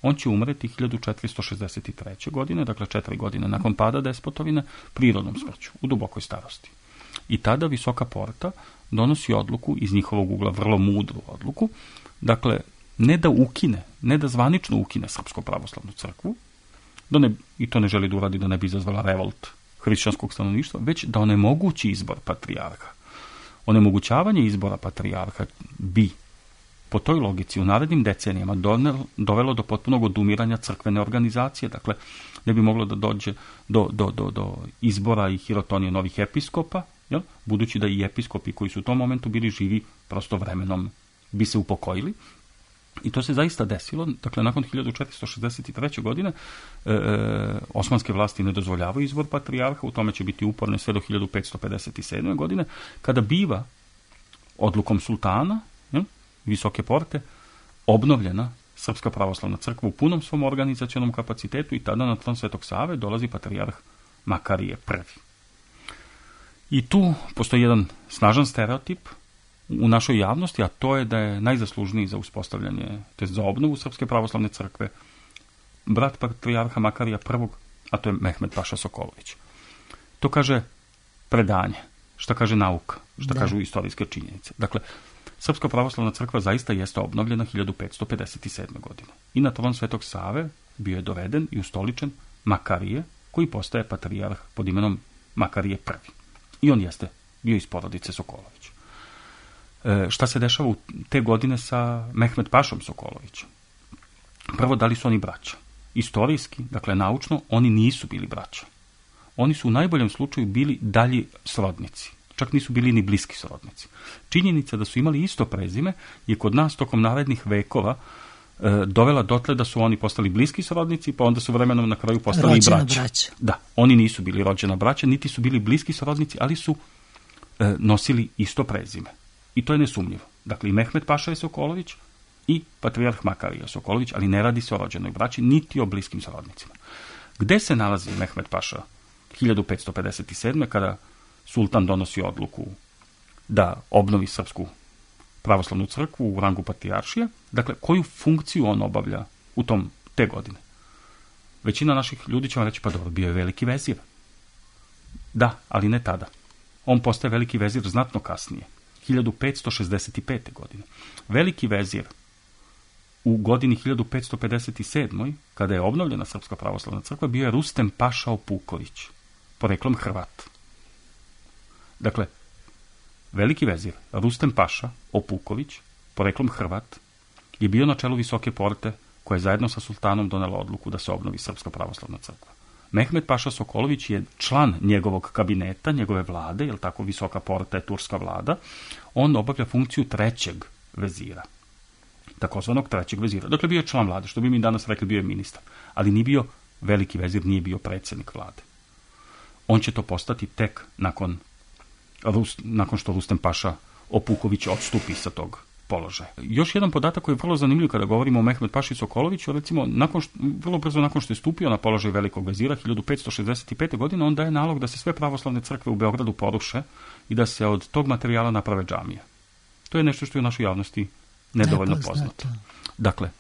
On će umreti 1463. godine, dakle 4 godine nakon pada despotovine, prirodnom smrću, u dubokoj starosti. I tada Visoka porta donosi odluku, iz njihovog ugla vrlo mudru odluku, dakle ne da ukine, ne da zvanično ukine Srpsku pravoslavnu crkvu, i to ne želi da uradi da ne bi izazvala revolt hrišćanskog stanovništva, već da onemogući izbor patrijarha. Onemogućavanje izbora patrijarha bi po toj logici u narednim decenijama dovelo do potpunog odumiranja crkvene organizacije. Dakle, ne bi moglo da dođe do izbora i hirotonije novih episkopa, jel? Budući da i episkopi koji su u tom momentu bili živi, prosto vremenom bi se upokojili. I to se zaista desilo. Dakle, nakon 1463. godine osmanske vlasti ne dozvoljavaju izbor patrijarha, u tome će biti uporne sve do 1557. godine, kada biva odlukom sultana, Visoke porte, obnovljena Srpska pravoslavna crkva u punom svom organizacionom kapacitetu i tada na tron Svetog Save dolazi patrijarh Makarije I. I tu postoji jedan snažan stereotip u našoj javnosti, a to je da je najzaslužniji za uspostavljanje, to je za obnovu Srpske pravoslavne crkve, brat patrijarha Makarija I, a to je Mehmed Paša Sokolović. To kaže predanje, šta kaže nauka, šta kažu istorijske činjenice. Dakle, Srpska pravoslavna crkva zaista jeste obnovljena 1557. godine. I na tron Svetog Save bio je doveden i ustoličen Makarije, koji postaje patrijarh pod imenom Makarije I. I on jeste bio iz porodice Sokolović. Šta se dešava u te godine sa Mehmed Pašom Sokolovićem? Prvo, da li su oni braća? Istorijski, dakle naučno, oni nisu bili braća. Oni su u najboljem slučaju bili dalji srodnici. Čak nisu bili ni bliski srodnici. Činjenica da su imali isto prezime je kod nas tokom narednih vekova dovela dotle da su oni postali bliski srodnici, pa onda su vremenom na kraju postali i braća. Da, oni nisu bili rođena braća, niti su bili bliski srodnici, ali su nosili isto prezime. I to je nesumnjivo. Dakle, i Mehmed Paša je Sokolović i patrijarh Makarija Sokolović, ali ne radi se o rođenoj braći, niti o bliskim srodnicima. Gde se nalazi Mehmed Paša 1557. kada sultan donosi odluku da obnovi Srpsku pravoslavnu crkvu u rangu patrijaršije? Dakle, koju funkciju on obavlja u te godine? Većina naših ljudi će vam reći, pa dobro, bio je veliki vezir. Da, ali ne tada. On postaje veliki vezir znatno kasnije, 1565. godine. Veliki vezir u godini 1557. kada je obnovljena Srpska pravoslavna crkva bio je Rustem Paša Opuković, poreklom Hrvat. Dakle, veliki vezir Rustem Paša Opuković, poreklom Hrvat, je bio na čelu Visoke porte koja je zajedno sa sultanom donela odluku da se obnovi Srpska pravoslavna crkva. Mehmed Paša Sokolović je član njegovog kabineta, njegove vlade, jer tako Visoka porta je turska vlada. On obavlja funkciju trećeg vezira, takozvanog trećeg vezira. Dakle, bio je član vlade, što bi mi danas rekli, bio je ministar, ali nije bio veliki vezir, nije bio predsjednik vlade. On će to postati tek nakon što Rustem Paša Opuković odstupi sa tog položaja. Još jedan podatak koji je vrlo zanimljiv kada govorimo o Mehmed Paši Sokoloviću, recimo, vrlo brzo nakon što je stupio na položaj velikog vezira, 1565. godine, on daje nalog da se sve pravoslavne crkve u Beogradu poruše i da se od tog materijala naprave džamije. To je nešto što je u našoj javnosti nedovoljno poznato. Dakle,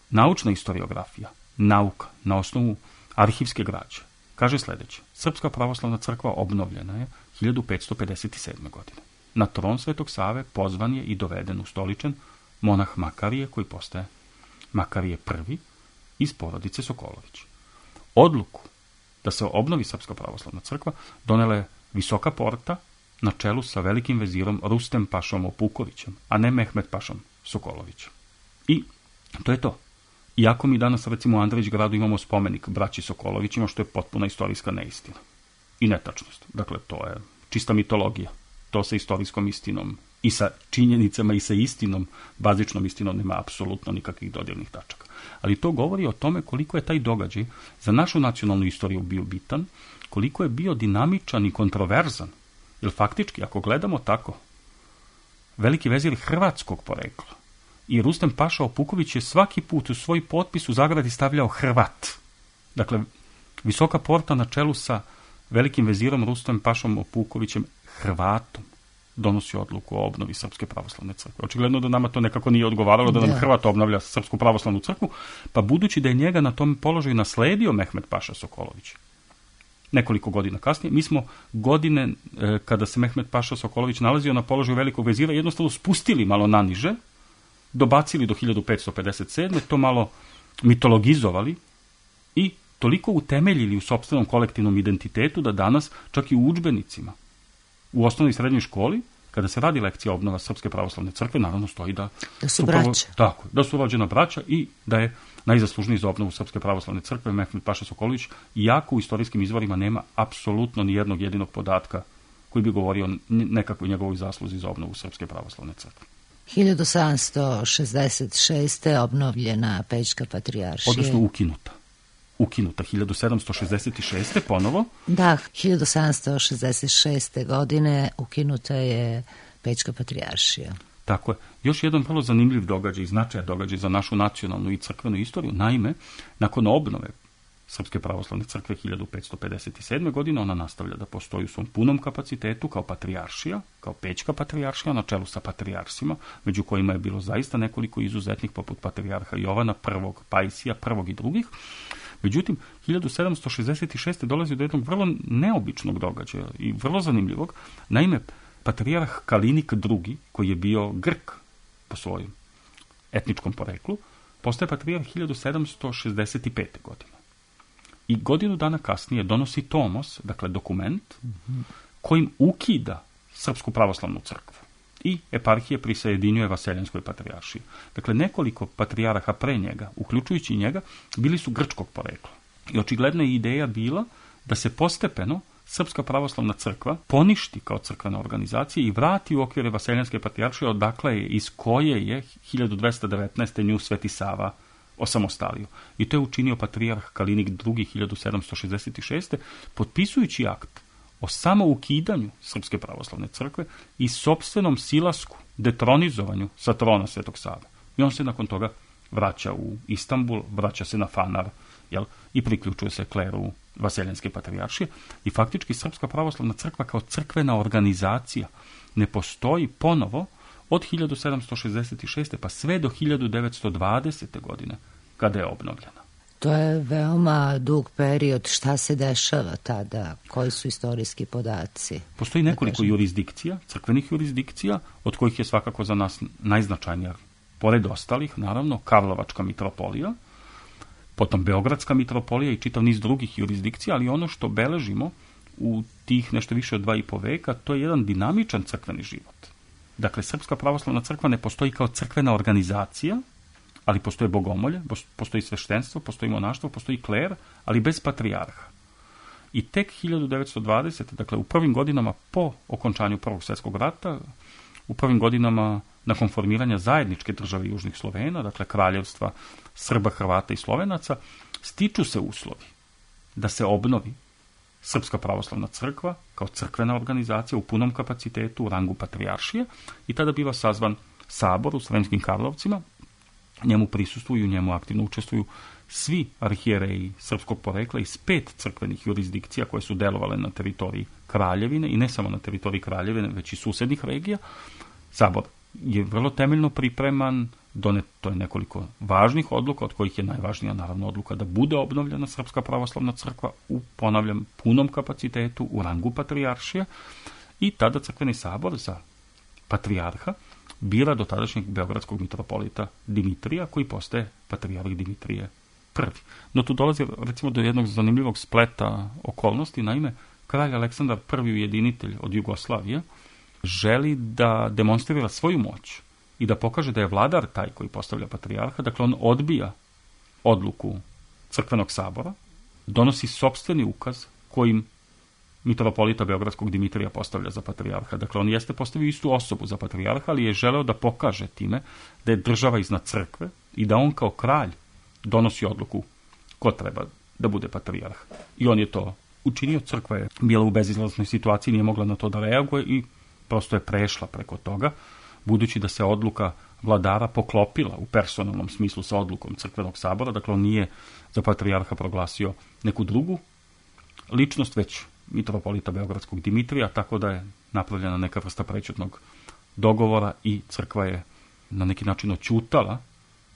naučna historiografija, nauka na osnovu arhivske građe, kaže sljedeće: Srpska pravoslavna crkva obnovljena je 1557. godine. Na tron Svetog Save pozvan je i doveden ustoličen monah Makarije, koji postaje Makarije I iz porodice Sokolović. Odluku da se obnovi Srpska pravoslavna crkva donela je Visoka porta na čelu sa velikim vezirom Rustem Pašom Opukovićem, a ne Mehmed Pašom Sokolovićem. I to je to. Iako mi danas, recimo, u Andrić gradu imamo spomenik braći Sokolovićima, što je potpuna istorijska neistina i netačnost. Dakle, to je čista mitologija. To sa istorijskom istinom i sa činjenicama i sa istinom, bazičnom istinom, nema apsolutno nikakvih dodirnih tačaka. Ali to govori o tome koliko je taj događaj za našu nacionalnu istoriju bio bitan, koliko je bio dinamičan i kontroverzan. Jer faktički, ako gledamo tako, veliki vezir hrvatskog porekla i Rustem Paša Opuković je svaki put u svoj potpis u zagradi stavljao Hrvat. Dakle, Visoka porta na čelu sa velikim vezirom Rustem Pašom Opukovićem, Hrvatom, donosi odluku o obnovi Srpske pravoslavne crkve. Očigledno da nama to nekako nije odgovaralo, da nam Hrvat obnavlja Srpsku pravoslavnu crkvu, pa budući da je njega na tom položaju nasledio Mehmed Paša Sokolović nekoliko godina kasnije, mi smo godine kada se Mehmed Paša Sokolović nalazio na položaju velikog vezira jednostavno spustili malo naniže, dobacili do 1557. to malo mitologizovali i toliko utemeljili u sopstvenom kolektivnom identitetu da danas čak i u udžbenicima u osnovnoj i srednjoj školi, kada se radi lekcija obnova Srpske pravoslavne crkve, naravno stoji da su braća. Tako, da su rođena braća i da je najzaslužniji za obnovu Srpske pravoslavne crkve Mehmed Paša Sokolović, iako u istorijskim izvorima nema apsolutno ni jednog jedinog podatka koji bi govorio o nekakvoj njegovoj zasluzi za obnovu Srpske pravoslavne crkve. 1766. obnovljena Pećka patrijaršija. Odnosno ukinuta 1766. ponovo. Da, 1766. godine ukinuta je Pećka patrijaršija. Tako je. Još jedan vrlo zanimljiv događaj i značajan događaj za našu nacionalnu i crkvenu istoriju. Naime, nakon obnove Srpske pravoslavne crkve 1557. godine ona nastavlja da postoji u svom punom kapacitetu kao patrijaršija, kao Pećka patrijaršija na čelu sa patrijarsima, među kojima je bilo zaista nekoliko izuzetnih poput patrijarha Jovana I, Pajsija I i drugih. Međutim, 1766. dolazi do jednog vrlo neobičnog događaja i vrlo zanimljivog. Naime, patrijarh Kalinik II, koji je bio Grk po svojem etničkom poreklu, postaje patrijarh 1765. godine. I godinu dana kasnije donosi tomos, dakle dokument, kojim ukida Srpsku pravoslavnu crkvu i eparhije prisajedinjuje Vaseljenskoj patrijaršiji. Dakle, nekoliko patrijaraha pre njega, uključujući njega, bili su grčkog porekla. I očigledna je ideja bila da se postepeno Srpska pravoslavna crkva poništi kao crkvena organizacija i vrati u okvire Vaseljenske patrijaršije, odakle je, iz koje je 1219. nju Sveti Sava osamostalio. I to je učinio patrijarh Kalinik II 1766. potpisujući akt o samoukidanju Srpske pravoslavne crkve i sopstvenom silasku, detronizovanju sa trona Svetog Save. I on se nakon toga vraća u Istanbul, vraća se na Fanar, i priključuje se kleru Vaseljenske patrijaršije. I faktički Srpska pravoslavna crkva kao crkvena organizacija ne postoji ponovo od 1766. pa sve do 1920. godine, kada je obnovljena. To je veoma dug period. Šta se dešava tada? Koji su istorijski podaci? Postoji nekoliko jurisdikcija, crkvenih jurisdikcija, od kojih je svakako za nas najznačajnija, pored ostalih, naravno, Karlovačka mitropolija, potom Beogradska mitropolija i čitav niz drugih jurisdikcija, ali ono što beležimo u tih nešto više od 2,5 veka, to je jedan dinamičan crkveni život. Dakle, Srpska pravoslavna crkva ne postoji kao crkvena organizacija, ali postoje bogomolje, postoji sveštenstvo, postoji monaštvo, postoji kler, ali bez patrijarha. I tek 1920. dakle u prvim godinama po okončanju Prvog svjetskog rata, u prvim godinama nakon formiranja zajedničke države Južnih Slovena, dakle kraljevstva Srba, Hrvata i Slovenaca, stiču se uslovi da se obnovi Srpska pravoslavna crkva kao crkvena organizacija u punom kapacitetu u rangu patrijaršije i tada biva sazvan sabor u Sremskim Karlovcima. Njemu prisustvuju, njemu aktivno učestvuju svi arhijereji srpskog porekla iz 5 crkvenih jurisdikcija koje su delovale na teritoriji Kraljevine i ne samo na teritoriji Kraljevine, već i susednih regija. Sabor je vrlo temeljno pripreman, doneto je nekoliko važnih odluka, od kojih je najvažnija naravno odluka da bude obnovljena Srpska pravoslavna crkva u, ponavljam, punom kapacitetu u rangu patrijaršije i tada crkveni sabor za patrijarha bira do tadašnjeg beogradskog mitropolita Dimitrija, koji postaje patrijarh Dimitrije I. No tu dolazi recimo do jednog zanimljivog spleta okolnosti. Naime, kralj Aleksandar I, ujedinitelj od Jugoslavije, želi da demonstrira svoju moć i da pokaže da je vladar taj koji postavlja patrijarha. Dakle, on odbija odluku crkvenog sabora, donosi sopstveni ukaz kojim mitropolita beogradskog Dimitrija postavlja za patrijarha. Dakle, on jeste postavio istu osobu za patrijarha, ali je želeo da pokaže time da je država iznad crkve i da on kao kralj donosi odluku ko treba da bude patrijarh. I on je to učinio. Crkva je bila u bezizlaznoj situaciji, nije mogla na to da reaguje i prosto je prešla preko toga, budući da se odluka vladara poklopila u personalnom smislu sa odlukom crkvenog sabora. Dakle, on nije za patrijarha proglasio neku drugu ličnost, već mitropolita beogradskog Dimitrija, tako da je napravljena neka vrsta prečutnog dogovora i crkva je na neki način oćutala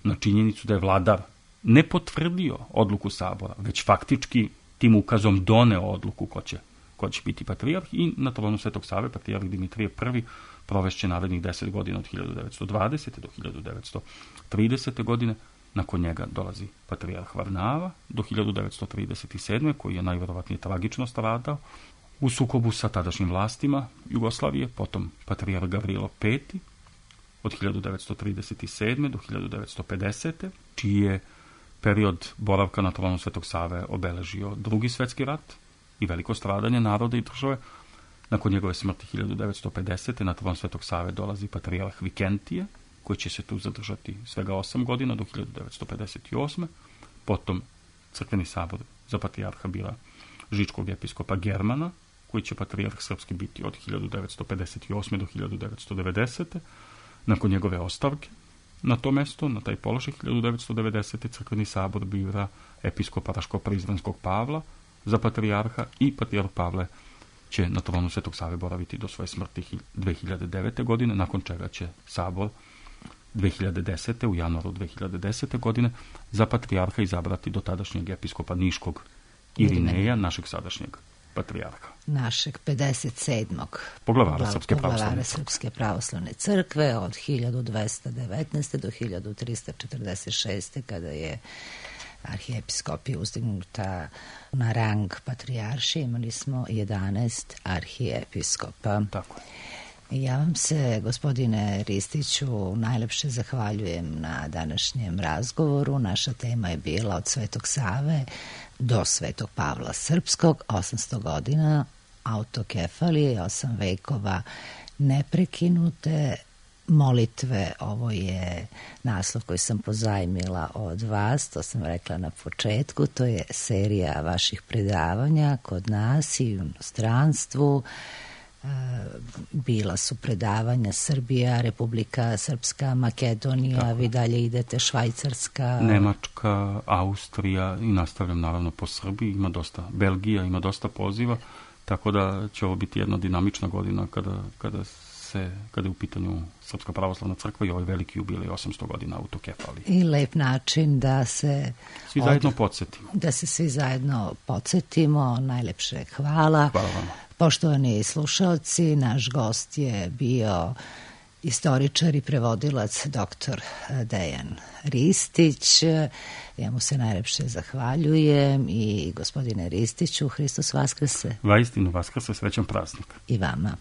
na činjenicu da je vladar ne potvrdio odluku sabora, već faktički tim ukazom doneo odluku ko će biti patrijarh i na tronu Svetog Save patrijarh Dimitrije I provešće narednih 10 godina od 1920. do 1930. godine. Nakon njega dolazi patrijarh Varnava do 1937. koji je najvjerovatnije tragično stradao u sukobu sa tadašnjim vlastima Jugoslavije, potom patrijarh Gavrilo V od 1937. do 1950. čiji je period boravka na tronu Svetog Save obeležio Drugi svetski rat i veliko stradanje naroda i države. Nakon njegove smrti 1950. na tron Svetog Save dolazi patrijarh Vikentije, koji će se tu zadržati svega 8 godina do 1958. Potom crkveni sabor za patrijarha bira žičkog episkopa Germana, koji će patrijarh srpski biti od 1958. do 1990. Nakon njegove ostavke na to mesto, na taj položaj 1990. crkveni sabor bira episkopa Raško-Prizrenskog Pavla za patrijarha i patrijarh Pavle će na tronu Svetog Save boraviti do svoje smrti 2009. godine, nakon čega će sabor 2010. u januaru 2010. godine za patrijarha izabrati do tadašnjeg episkopa Niškog Irineja, našeg sadašnjeg patrijarha. Našeg 57. Poglavara Srpske pravoslavne crkve od 1219. do 1346. kada je arhijepiskopija uzdignuta na rang patrijaršije. Imali smo 11 arhijepiskopa. Tako je. Ja vam se, gospodine Ristiću, najlepše zahvaljujem na današnjem razgovoru. Naša tema je bila od Svetog Save do Svetog Pavla Srpskog, 800 godina autokefalije, 8 vekova neprekinute molitve. Ovo je naslov koji sam pozajmila od vas, to sam rekla na početku, to je serija vaših predavanja kod nas i u inostranstvu. Bila su predavanja Srbija, Republika Srpska, Makedonija, tako. Vi dalje idete Švajcarska, Nemačka, Austrija i nastavljam naravno po Srbiji, ima dosta, Belgija ima dosta poziva, tako da će ovo biti jedna dinamična godina kada je u pitanju Srpska pravoslavna crkva i ovaj veliki jubilej 800 godina autokefalije. I lep način da se svi zajedno podsjetimo. Da se svi zajedno podsjetimo. Najlepše hvala. Hvala vam. Poštovani slušalci, naš gost je bio istoričar i prevodilac dr. Dejan Ristić. Ja mu se najlepše zahvaljujem i gospodine Ristiću, Hristos Vaskrse. Vaistinu Vaskrse, srećan praznik. I vama.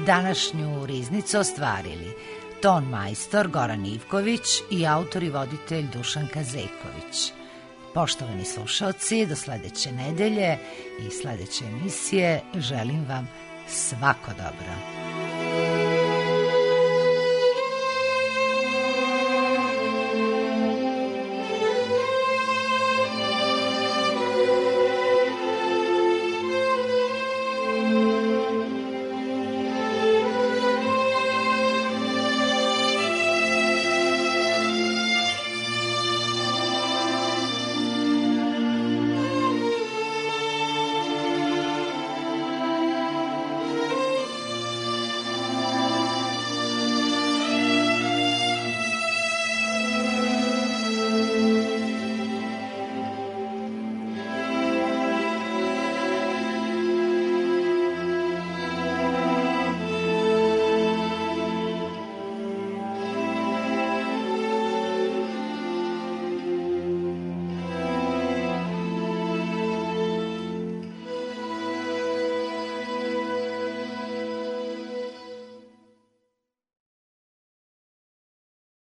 Današnju riznicu ostvarili ton majstor Goran Ivković i autor i voditelj Dušan Kazeković. Poštovani slušalci, do sledeće nedelje i sledeće emisije želim vam svako dobro.